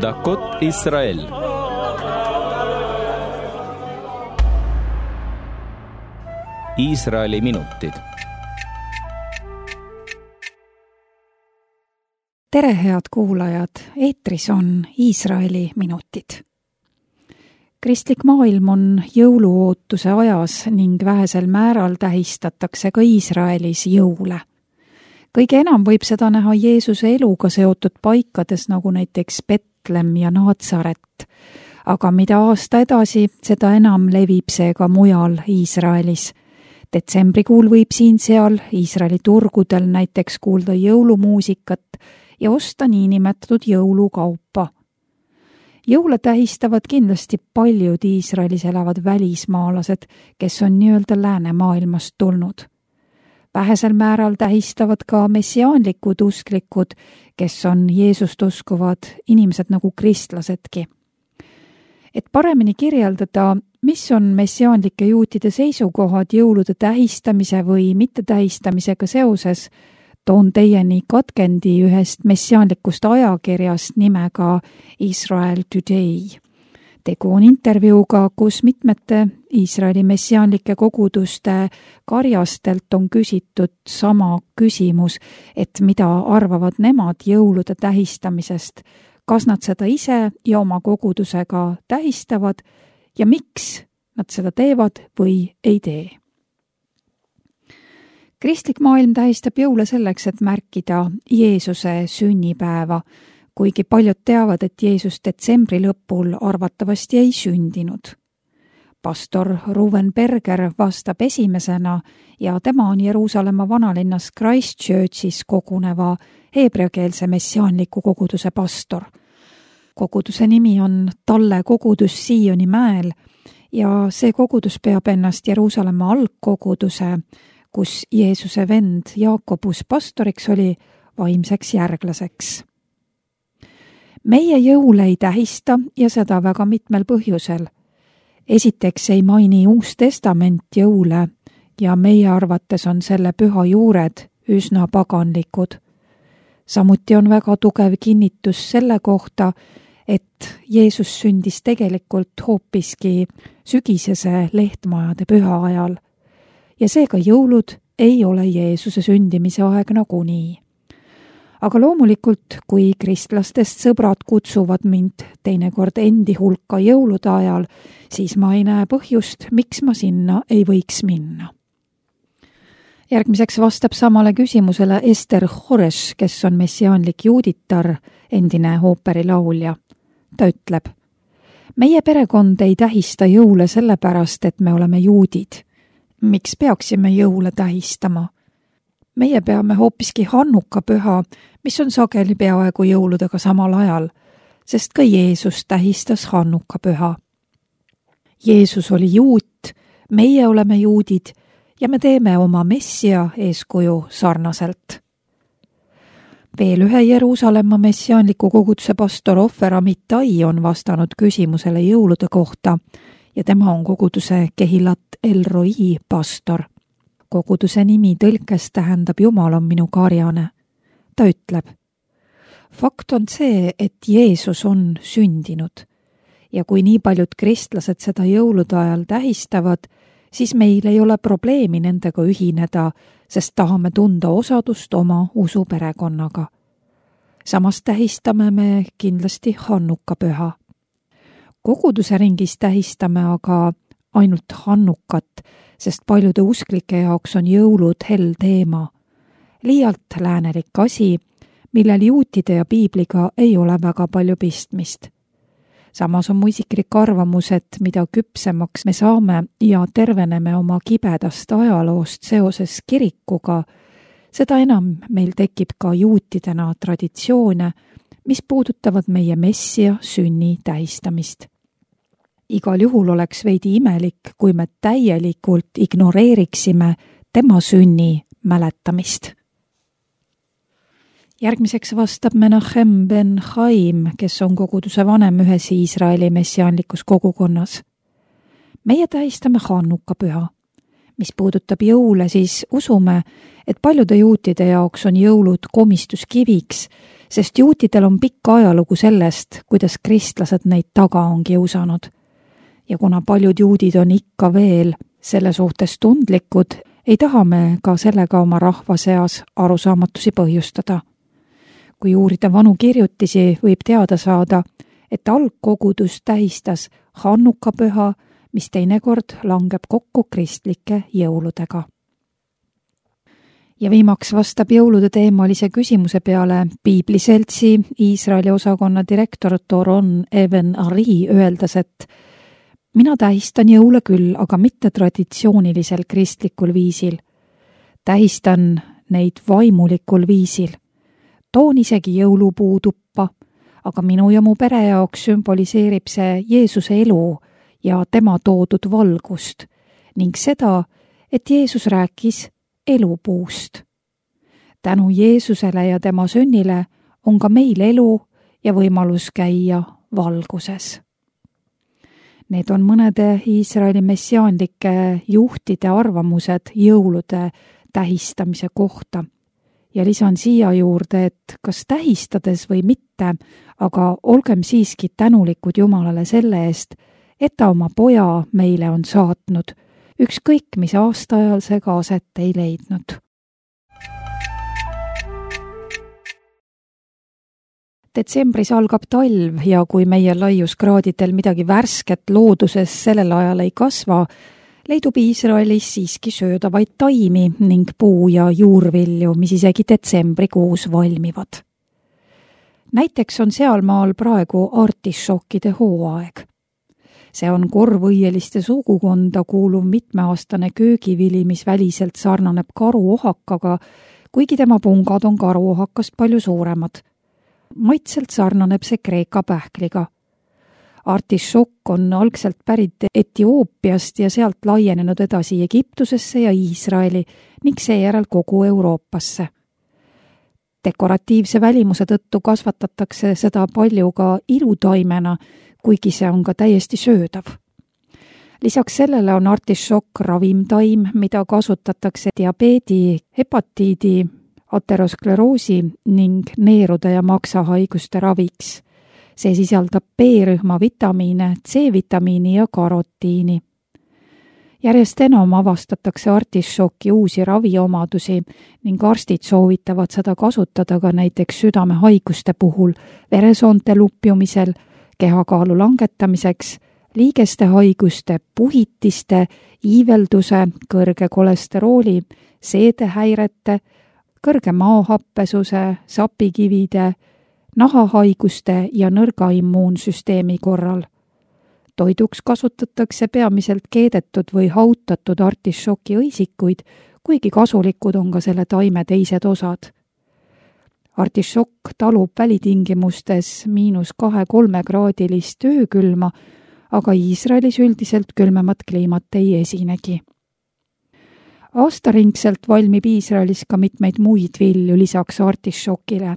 דקות ישראל. Iisraeli minutid. Tere, head kuulajad! Eetris on Iisraeli minutid. Kristlik maailm on jõuluootuse ajas ning vähesel määral tähistatakse ka Iisraelis jõule. Kõige enam võib seda näha Jeesuse eluga seotud paikades, nagu näiteks Betlem ja Naatsaret. Aga mida aasta edasi, seda enam levib see ka mujal Iisraelis. Detsembrikuul võib siin-seal Iisraeli turgudel näiteks kuulda jõulumuusikat ja osta niinimetatud jõulukaupa. Jõule tähistavad kindlasti paljud Iisraelis elavad välismaalased, kes on nii-öelda läänemaailmast tulnud. Vähesel määral tähistavad ka messiaanlikud usklikud, kes on Jeesust uskuvad inimesed nagu kristlasedki. Et paremini kirjeldada, mis on messiaanlike juutide seisukohad jõulude tähistamise või mittetähistamisega seoses, toon teieni katkendi ühest messiaanlikust ajakirjast nimega Israel Today. Tegu on intervjuuga, kus mitmete Iisraeli messiaanlike koguduste karjastelt on küsitud sama küsimus, et mida arvavad nemad jõulude tähistamisest, kas nad seda ise ja oma kogudusega tähistavad ja miks nad seda teevad või ei tee. Kristlik maailm tähistab jõule selleks, et märkida Jeesuse sünnipäeva, kuigi paljud teavad, et Jeesus detsembri lõpul arvatavasti ei sündinud. Pastor Ruven Berger vastab esimesena ja tema on Jeruusalemma vanalinnas Christchurchis koguneva heebreakeelse messiaanliku koguduse pastor. Koguduse nimi on Talle kogudus Sioni mäel ja see kogudus peab ennast Jeruusalemma algkoguduse, kus Jeesuse vend Jaakobus pastoriks oli, vaimseks järglaseks. Meie jõule ei tähista ja seda väga mitmel põhjusel. Esiteks ei maini Uus Testament jõule ja meie arvates on selle püha juured üsna paganlikud. Samuti on väga tugev kinnitus selle kohta, et Jeesus sündis tegelikult hoopiski sügisese lehtmajade püha ajal ja seega jõulud ei ole Jeesuse sündimise aeg nagunii. Aga loomulikult, kui kristlastest sõbrad kutsuvad mind teinekord endi hulka jõulude ajal, siis ma ei näe põhjust, miks ma sinna ei võiks minna. Järgmiseks vastab samale küsimusele Ester Hores, kes on messiaanlik juuditar, endine ooperilaulja. Ta ütleb, meie perekond ei tähista jõule sellepärast, et me oleme juudid. Miks peaksime jõule tähistama? Meie peame hoopiski Hannuka püha, mis on sageli peaaegu jõuludega samal ajal, sest ka Jeesus tähistas Hannuka püha. Jeesus oli juut, meie oleme juudid ja me teeme oma messia eeskuju sarnaselt. Veel ühe Jeruusalemma messiaanliku koguduse pastor Ofer Amitai on vastanud küsimusele jõulude kohta ja tema on koguduse Kehilat El Roi pastor. Koguduse nimi tõlkes tähendab Jumal on minu karjane. Ta ütleb, fakt on see, et Jeesus on sündinud ja kui nii paljud kristlased seda jõulude ajal tähistavad, siis meil ei ole probleemi nendega ühineda, sest tahame tunda osadust oma usuperekonnaga. Samas tähistame me kindlasti Hannuka püha. Koguduse ringis tähistame aga ainult Hannukat, sest paljude usklike jaoks on jõulud hell teema. Liialt läänelik asi, millel juutide ja piibliga ei ole väga palju pistmist. Samas on mu isiklik arvamus, et mida küpsemaks me saame ja terveneme oma kibedast ajaloost seoses kirikuga, seda enam meil tekib ka juutidena traditsioone, mis puudutavad meie messia sünni tähistamist. Igal juhul oleks veidi imelik, kui me täielikult ignoreeriksime tema sünni mäletamist. Järgmiseks vastab Menachem ben Chaim, kes on koguduse vanem ühes Iisraeli messiaanlikus kogukonnas. Meie tähistame Hannuka püha. Mis puudutab jõule, siis usume, et paljude juutide jaoks on jõulud komistuskiviks, sest juutidel on pikk ajalugu sellest, kuidas kristlased neid taga on kiusanud. Ja kuna paljud juudid on ikka veel selle suhtes tundlikud, ei taha me ka sellega oma rahva seas arusaamatusi põhjustada. Kui uurida vanu kirjutisi, võib teada saada, et algkogudus tähistas Hannukapüha, mis teinekord langeb kokku kristlike jõuludega. Ja viimaks vastab jõulude teemalise küsimuse peale Piibliseltsi Iisraeli osakonna direktor Doron Even-Ari öeldes, et mina tähistan jõule küll, aga mitte traditsioonilisel kristlikul viisil. Tähistan neid vaimulikul viisil. Toon isegi jõulupuu tuppa, aga minu ja mu pere jaoks sümboliseerib see Jeesuse elu ja tema toodud valgust ning seda, et Jeesus rääkis elupuust. Tänu Jeesusele ja tema sünnile on ka meil elu ja võimalus käia valguses. Need on mõnede Iisraeli messiaanlike juhtide arvamused jõulude tähistamise kohta. Ja lisan siia juurde, et kas tähistades või mitte, aga olgem siiski tänulikud Jumalale selle eest, et ta oma poja meile on saatnud, ükskõik mis aastaajal see ka aset ei leidnud. Detsembris algab talv ja kui meie laiuskraadidel midagi värsket looduses sellel ajal ei kasva, leidub Iisraelis siiski söödavaid taimi ning puu- ja juurvilju, mis isegi detsembrikuus valmivad. Näiteks on sealmaal praegu artisšokkide hooaeg. See on korvõieliste sugukonda kuuluv mitmeaastane köögivili, mis väliselt sarnaneb karuohakaga, kuigi tema pungad on karuohakast palju suuremad. Maitselt sarnaneb see Kreeka pähkliga. Artisšokk on algselt pärit Etioopiast ja sealt laienenud edasi Egiptusesse ja Iisraeli ning seejärel kogu Euroopasse. Dekoratiivse välimuse tõttu kasvatatakse seda palju ka ilutaimena, kuigi see on ka täiesti söödav. Lisaks sellele on artisšokk ravimtaim, mida kasutatakse diabeedi, hepatiidi, ateroskleroosi ning neerude ja maksahaiguste raviks. See sisaldab B-rühma vitamiine, C-vitamiini ja karotiini. Järjest enam avastatakse artisšoki uusi raviomadusi ning arstid soovitavad seda kasutada ka näiteks südamehaiguste puhul, veresoonte lupjumisel, kehakaalu langetamiseks, liigeste haiguste, puhitiste, iivelduse, kõrge kolesterooli, seedehäirete, kõrge maahappesuse, sapikivide, nahahaiguste ja nõrga immuunsüsteemi korral. Toiduks kasutatakse peamiselt keedetud või hautatud artisšoki õisikuid, kuigi kasulikud on ka selle taime teised osad. Artisšokk talub välitingimustes -2–3 kraadilist öökülma, aga Iisraelis üldiselt külmemat kliimat ei esinegi. Aastaringselt valmib Iisraelis ka mitmeid muid vilju lisaks artisšokile.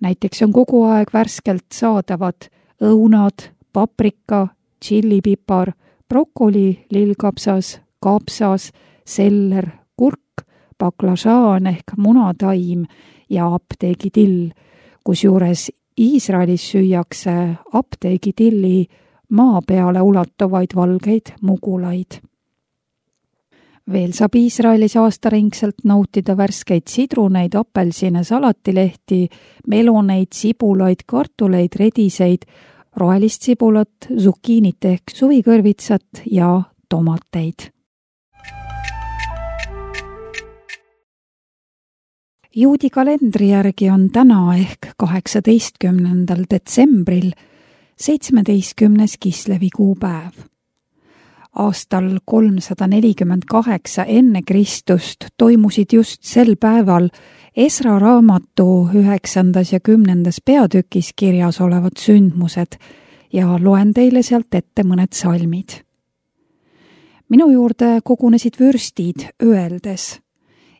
Näiteks on kogu aeg värskelt saadavad õunad, paprika, tšillipipar, brokoli, lillkapsas, kapsas, seller, kurk, baklažaan ehk munataim ja apteegidill, kusjuures Iisraelis süüakse apteegitilli maa peale ulatuvaid valgeid mugulaid. Veel saab Iisraelis aastaringselt nautida värskeid sidruneid, apelsine, salatilehti, meloneid, sibulaid, kartuleid, rediseid, rohelist sibulat, zukiinit ehk suvikõrvitsat ja tomateid. Juudi kalendri järgi on täna ehk 18. detsembril 17. Kislevi kuupäev. Aastal 348 enne Kristust toimusid just sel päeval Esra raamatu 9. ja 10. peatükis kirjas olevad sündmused ja loen teile sealt ette mõned salmid. Minu juurde kogunesid vürstid, öeldes: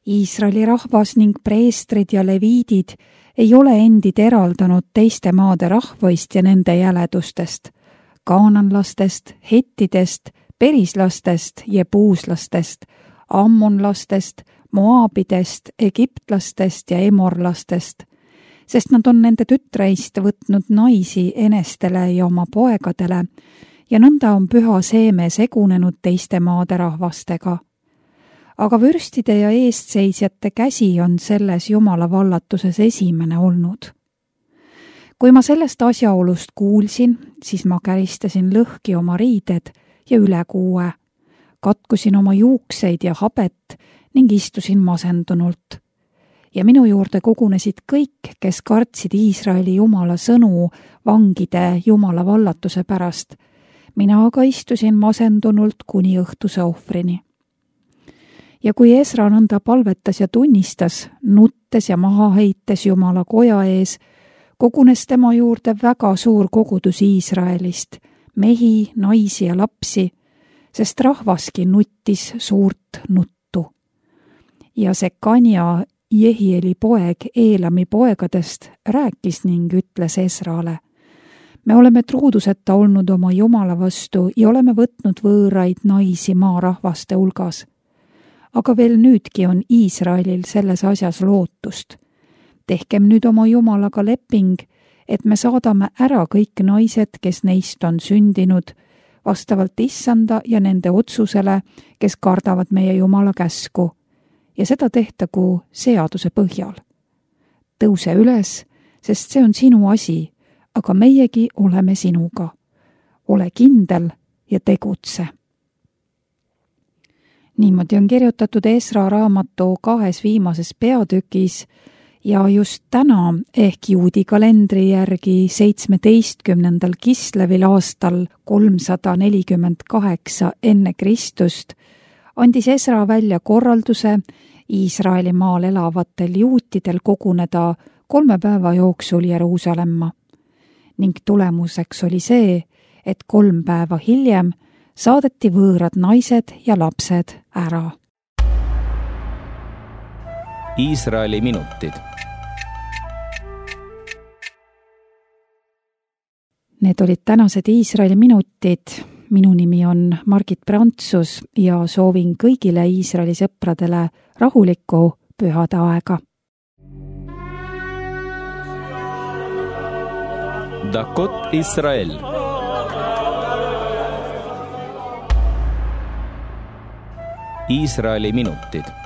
Iisraeli rahvas ning preestrid ja leviidid ei ole endid eraldanud teiste maade rahvaist ja nende jäledustest, kaananlastest, hettidest, perislastest, jebuuslastest, ammonlastest, moaabidest, egiptlastest ja emorlastest. sest nad on nende tütreist võtnud naisi enestele ja oma poegadele ja nõnda on püha seeme segunenud teiste maade rahvastega. Aga vürstide ja eestseisjate käsi on selles Jumala vallatuses esimene olnud. Kui ma sellest asjaolust kuulsin, siis ma käristasin lõhki oma riided ja ülekuue, katkusin oma juukseid ja habet ning istusin masendunult. Ja minu juurde kogunesid kõik, kes kartsid Iisraeli Jumala sõnu vangide Jumala vallatuse pärast. Mina aga istusin masendunult kuni õhtuse ohvrini. Ja kui Esra nõnda palvetas ja tunnistas, nuttes ja maha heites Jumala koja ees, kogunes tema juurde väga suur kogudus Iisraelist, mehi, naisi ja lapsi, sest rahvaski nuttis suurt nuttu. Ja Sekania, Jehieli poeg Eelami poegadest, rääkis ning ütles Esrale: me oleme truuduseta olnud oma Jumala vastu ja oleme võtnud võõraid naisi maarahvaste hulgas. Aga veel nüüdki on Iisraelil selles asjas lootust. Tehkem nüüd oma Jumalaga leping, et me saadame ära kõik naised, kes neist on sündinud, vastavalt Issanda ja nende otsusele, kes kardavad meie Jumala käsku, ja seda tehtagu seaduse põhjal. Tõuse üles, sest see on sinu asi, aga meiegi oleme sinuga. Ole kindel ja tegutse. Niimoodi on kirjutatud Esra raamatu 2 viimases peatükis ja just täna ehk juudi kalendri järgi 17. Kislevil aastal 348 enne Kristust andis Esra välja korralduse Iisraeli maal elavatel juutidel koguneda 3 päeva jooksul Jeruusalemma. Ning tulemuseks oli see, et 3 päeva hiljem saadeti võõrad naised ja lapsed ära. Iisraeli minutid. Need olid tänased Iisraeli minutid. Minu nimi on Margit Prantsus ja soovin kõigile Iisraeli sõpradele rahulikku pühade aega. Dakot Israel. Iisraeli minutid.